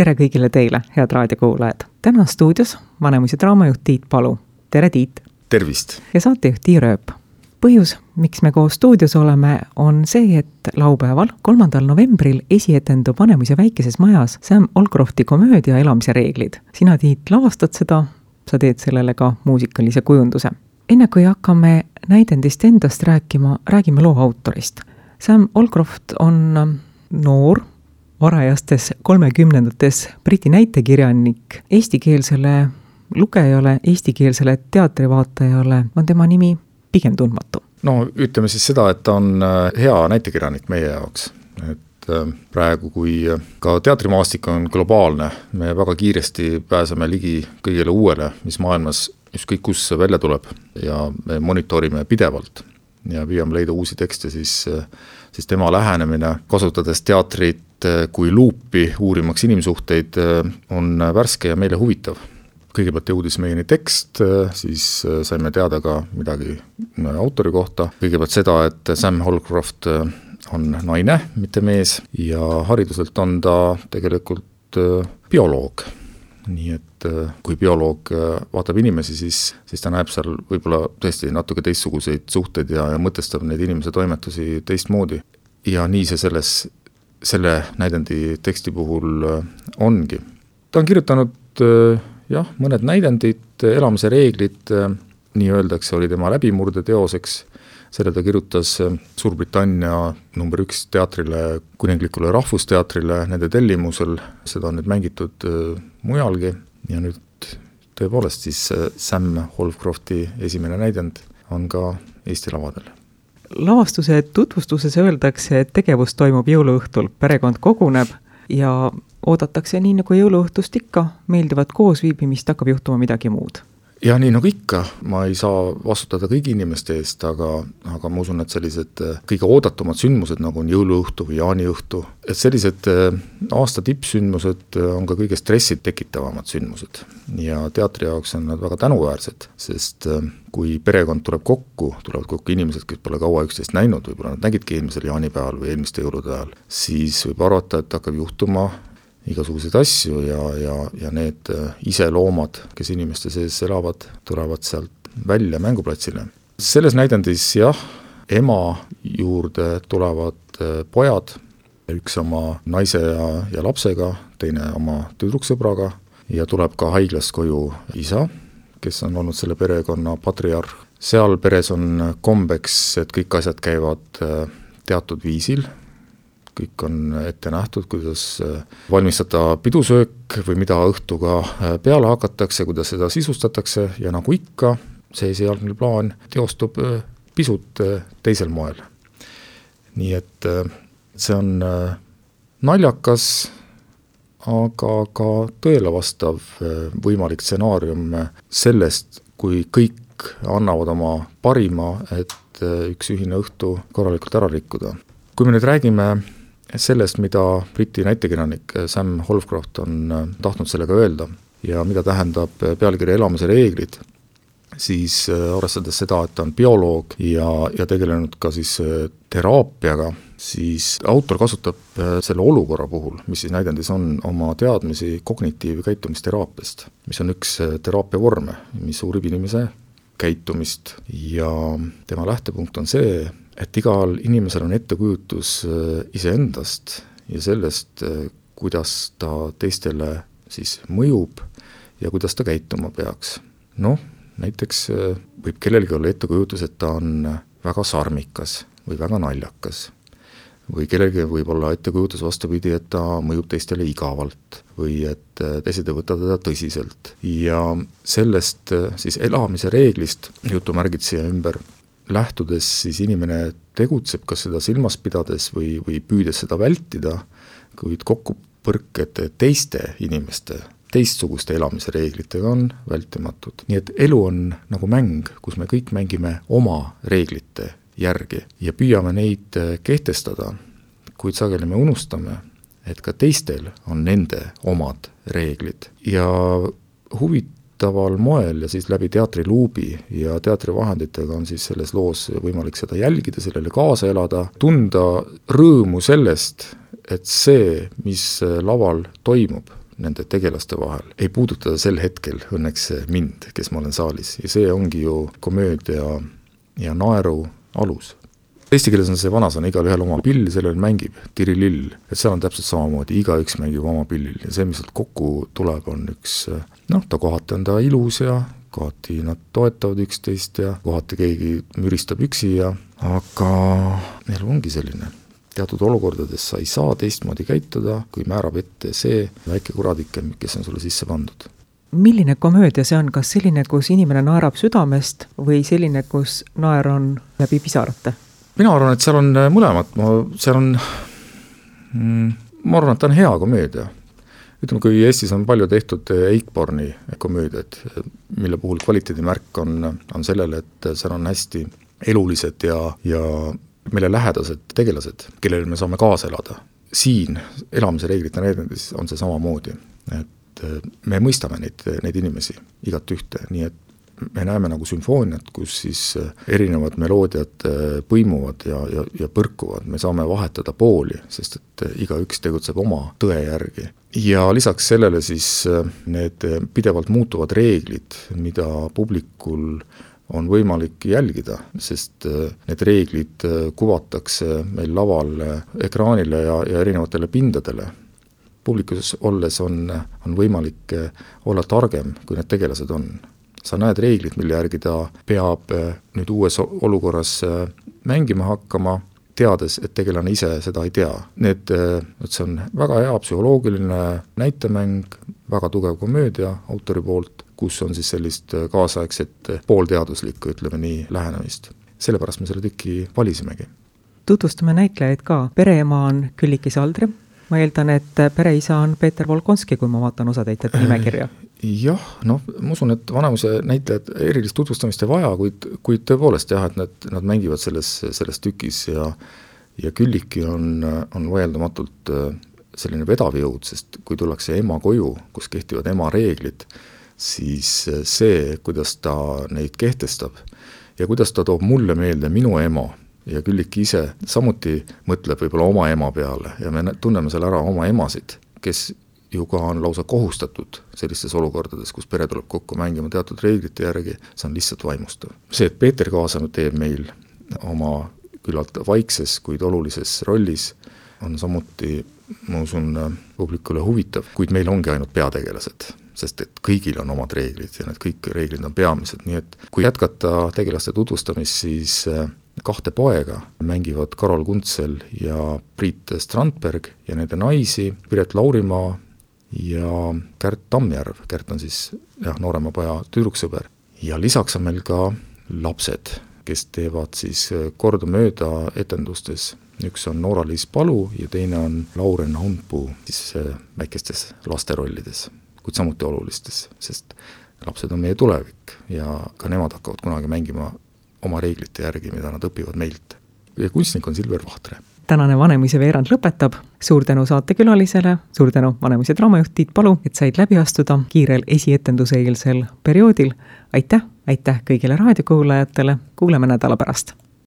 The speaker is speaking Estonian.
Tere kõigile teile, head raadiokuulajad. Täna stuudios Vanemuise draamajuht Tiit Palu. Tere Tiit! Tervist! Ja saatejuht Tiir Ööp. Põhjus, miks me koos stuudios oleme, on see, et laupäeval, 3. novembril esietendub Vanemuise väikeses majas Sam Holcrofti komöödia Elamise reeglid. Sina, Tiit, lavastad seda, sa teed sellele ka muusikalise kujunduse. Enne kui hakkame näidendist endast rääkima, räägime loo autorist. Sam Holcroft on noor, varajastes 30-ndates Briti näitekirjanik. Eestikeelsele lugejale, eestikeelsele teatrivaatajale on tema nimi pigem tundmatu. No ütleme siis seda, et ta on hea näitekirjanik meie jaoks. Et praegu, kui ka teatrimaastik on globaalne, me väga kiiresti pääseme ligi kõigele uuele, mis maailmas ükskõik kus välja tuleb ja me monitoorime pidevalt ja püüame leida uusi tekste, siis tema lähenemine, kasutades teatrit kui luupi uurimaks inimsuhteid, on värske ja meile huvitav. Kõigepealt jõudis meieni tekst, siis saime teada ka midagi autori kohta. Kõigepealt seda, et Sam Holcroft on naine, mitte mees, ja hariduselt on ta tegelikult bioloog. Nii et kui bioloog vaatab inimesi, siis ta näeb seal võib-olla tõesti natuke teistsuguseid suhteid ja mõtestab neid inimese toimetusi teistmoodi. Ja nii see selle näidendi teksti puhul ongi. Ta on kirjutanud mõned näidendid, Elamise reeglid, nii öeldakse, oli tema läbimurde teoseks. Selle ta kirjutas Suurbritannia number 1 teatrile, kuninglikule rahvusteatrile, nende tellimusel. Seda on nüüd mängitud mujalgi ja nüüd tõepoolest siis Sam Holcrofti esimene näidend on ka Eesti lavadel. Lavastuse tutvustuses öeldakse, et tegevus toimub jõuluõhtul, perekond koguneb ja oodatakse nii nagu jõuluõhtust ikka, meeldivat koosviibimist, hakkab juhtuma midagi muud. Ja nii nagu ikka, ma ei saa vastutada kõigi inimeste eest, aga ma usun, et sellised kõige oodatumad sündmused, nagu on jõuluõhtu või jaaniõhtu, et sellised aasta tippsündmused on ka kõige stressid tekitavamad sündmused. Ja teatri jaoks on nad väga tänuväärsed, sest kui perekond tulevad kokku inimesed, kes pole kaua üksteist näinud, võib-olla nad nägidki eelmisel jaanipäeval või eelmiste jõulude ajal, siis võib arvata, et hakkab juhtuma igasuguseid asju ja need iseloomad, kes inimeste sees elavad, tulevad sealt välja mänguplatsile. Selles näidendis ema juurde tulevad pojad, üks oma naise ja lapsega, teine oma tüdruksõbraga ja tuleb ka haiglast koju isa, kes on olnud selle perekonna patriarh. Seal peres on kombeks, et kõik asjad käivad teatud viisil, kõik on ette nähtud, kuidas valmistada pidusöök või mida õhtuga peale hakatakse, kuidas seda sisustatakse ja nagu ikka, see esialgne plaan teostub pisut teisel moel. Nii et see on naljakas, aga ka tõele vastav võimalik stsenaarium sellest, kui kõik annavad oma parima, et üks ühine õhtu korralikult ära rikkuda. Kui me nüüd räägime sellest, mida Briti näitekirjanik Sam Holcroft on tahtnud sellega öelda ja mida tähendab pealkiri Elamise reeglid, siis arvestades seda, et ta on bioloog ja tegelenud ka siis teraapiaga, siis autor kasutab selle olukorra puhul, mis siis näidendis on, oma teadmisi kognitiiv- ja käitumisteraapiast, mis on üks teraapia vorme, mis uurib inimese käitumist ja tema lähtepunkt on see, et igal inimesel on ettekujutus iseendast ja sellest, kuidas ta teistele siis mõjub ja kuidas ta käituma peaks. Näiteks võib kellelgi olla ettekujutus, et ta on väga sarmikas või väga naljakas. Või kellelgi võib olla ettekujutus vastupidi, et ta mõjub teistele igavalt või et teised ei võta teda tõsiselt. Ja sellest siis elamise reeglist jutumärgid siia ümber lähtudes siis inimene tegutseb, kas seda silmas pidades või püüdes seda vältida, kuid kokkupõrked teiste inimeste, teistsuguste elamise reeglitega on vältimatud. Nii et elu on nagu mäng, kus me kõik mängime oma reeglite järgi ja püüame neid kehtestada, kuid sageli me unustame, et ka teistel on nende omad reeglid. Ja huvitaval moel ja siis läbi teatriluubi ja teatrivahenditega on siis selles loos võimalik seda jälgida, sellele kaasa elada, tunda rõõmu sellest, et see, mis laval toimub, nende tegelaste vahel ei puuduta sel hetkel õnneks mind, kes ma olen saalis. Ja see ongi ju komöödia ja naeru alus. Eesti keeles on see vanasõna, igal ühel oma pill, sellel mängib tirilill. Et seal on täpselt samamoodi, igaüks mängib oma pillil. Ja see, mis sealt kokku tuleb, on üks, ta kohati on ta ilus ja kohati nad toetavad üksteist ja kohati keegi müristab üksi aga neil ongi selline. Teatud olukordades sa ei saa teistmoodi käituda, kui määrab ette see väike kuradike, kes on sulle sisse pandud. Milline komöödia see on? Kas selline, kus inimene naerab südamest või selline, kus naer on läbi pisarate? Mina arvan, et seal on mõlemad. Ma arvan, et ta on hea komöödia. Ütleme, kui Eestis on palju tehtud Eichborni komöödiad, mille puhul kvaliteedimärk on sellele, et seal on hästi elulised ja meile lähedased tegelased, kellele me saame kaasa elada. Siin elamise reeglite näidendes on see samamoodi, et me mõistame neid inimesi igat ühte, nii et me näeme nagu sümfooniat, kus siis erinevad meloodiad põimuvad ja põrkuvad. Me saame vahetada pooli, sest et igaüks tegutseb oma tõe järgi. Ja lisaks sellele siis need pidevalt muutuvad reeglid, mida publikul on võimalik jälgida, sest need reeglid kuvatakse meil laval ekraanile ja erinevatele pindadele. Publikus olles on võimalik olla targem, kui need tegelased on. Sa näed reeglid, mille järgi ta peab nüüd uues olukorras mängima hakkama, teades, et tegelane ise seda ei tea. See on väga hea psühholoogiline näitemäng, väga tugev komöödia autori poolt, kus on siis sellist kaasaegset poolteaduslikku, ütleme nii, lähenemist. Sellepärast me selle tüki valisimegi. Tutvustame näitlejaid ka. Pereema on Külliki Saldre. Ma eeldan, et pereisa on Peeter Volkonski, kui ma vaatan osatäitjate nimekirja. Jah, ma usun, et vanemuse näitlejad erilist tutvustamist ei vaja, kuid tõepoolest jah, et nad mängivad selles tükis ja Külliki on vaieldamatult selline vedav jõud, sest kui tullakse ema koju, kus kehtivad ema reeglid, siis see, kuidas ta neid kehtestab ja kuidas ta toob mulle meelde minu ema ja Külliki ise samuti mõtleb võib-olla oma ema peale ja me tunneme seal ära oma emasid, kes ju ka on lausa kohustatud sellistes olukordades, kus pere tuleb kokku mängima teatud reeglite järgi, see on lihtsalt vaimustav. See, et Peeter Kaasanud teeb meil oma küllalt vaikses, kuid olulises rollis, on samuti, ma usun, publikule huvitav, kuid meil ongi ainult peategelased, sest et kõigil on omad reeglid ja need kõik reeglid on peamised, nii et kui jätkata tegelaste tutvustamist, siis 2 poega mängivad Karol Kuntsel ja Priit Strandberg ja nende naisi Piret Laurimaa ja Kärt Tammjärv. Kärt on siis noorema poja tüdruksõber. Ja lisaks on meil ka lapsed, kes teevad siis kordamööda etendustes. Üks on Noora-Liis Palu ja teine on Lauren Hundpuu siis väikestes lasterollides, kuid samuti olulistes, sest lapsed on meie tulevik ja ka nemad hakkavad kunagi mängima oma reeglite järgi, mida nad õpivad meilt. Ja kunstnik on Silver Vahtre. Tänane Vanemuise veerand lõpetab. Suur tänu saatekülalisele, suur tänu Vanemuise draamajuht Tiit Palu, et said läbi astuda kiirel esietenduse eelsel perioodil. Aitäh kõigile raadiokuulajatele, kuuleme nädala pärast.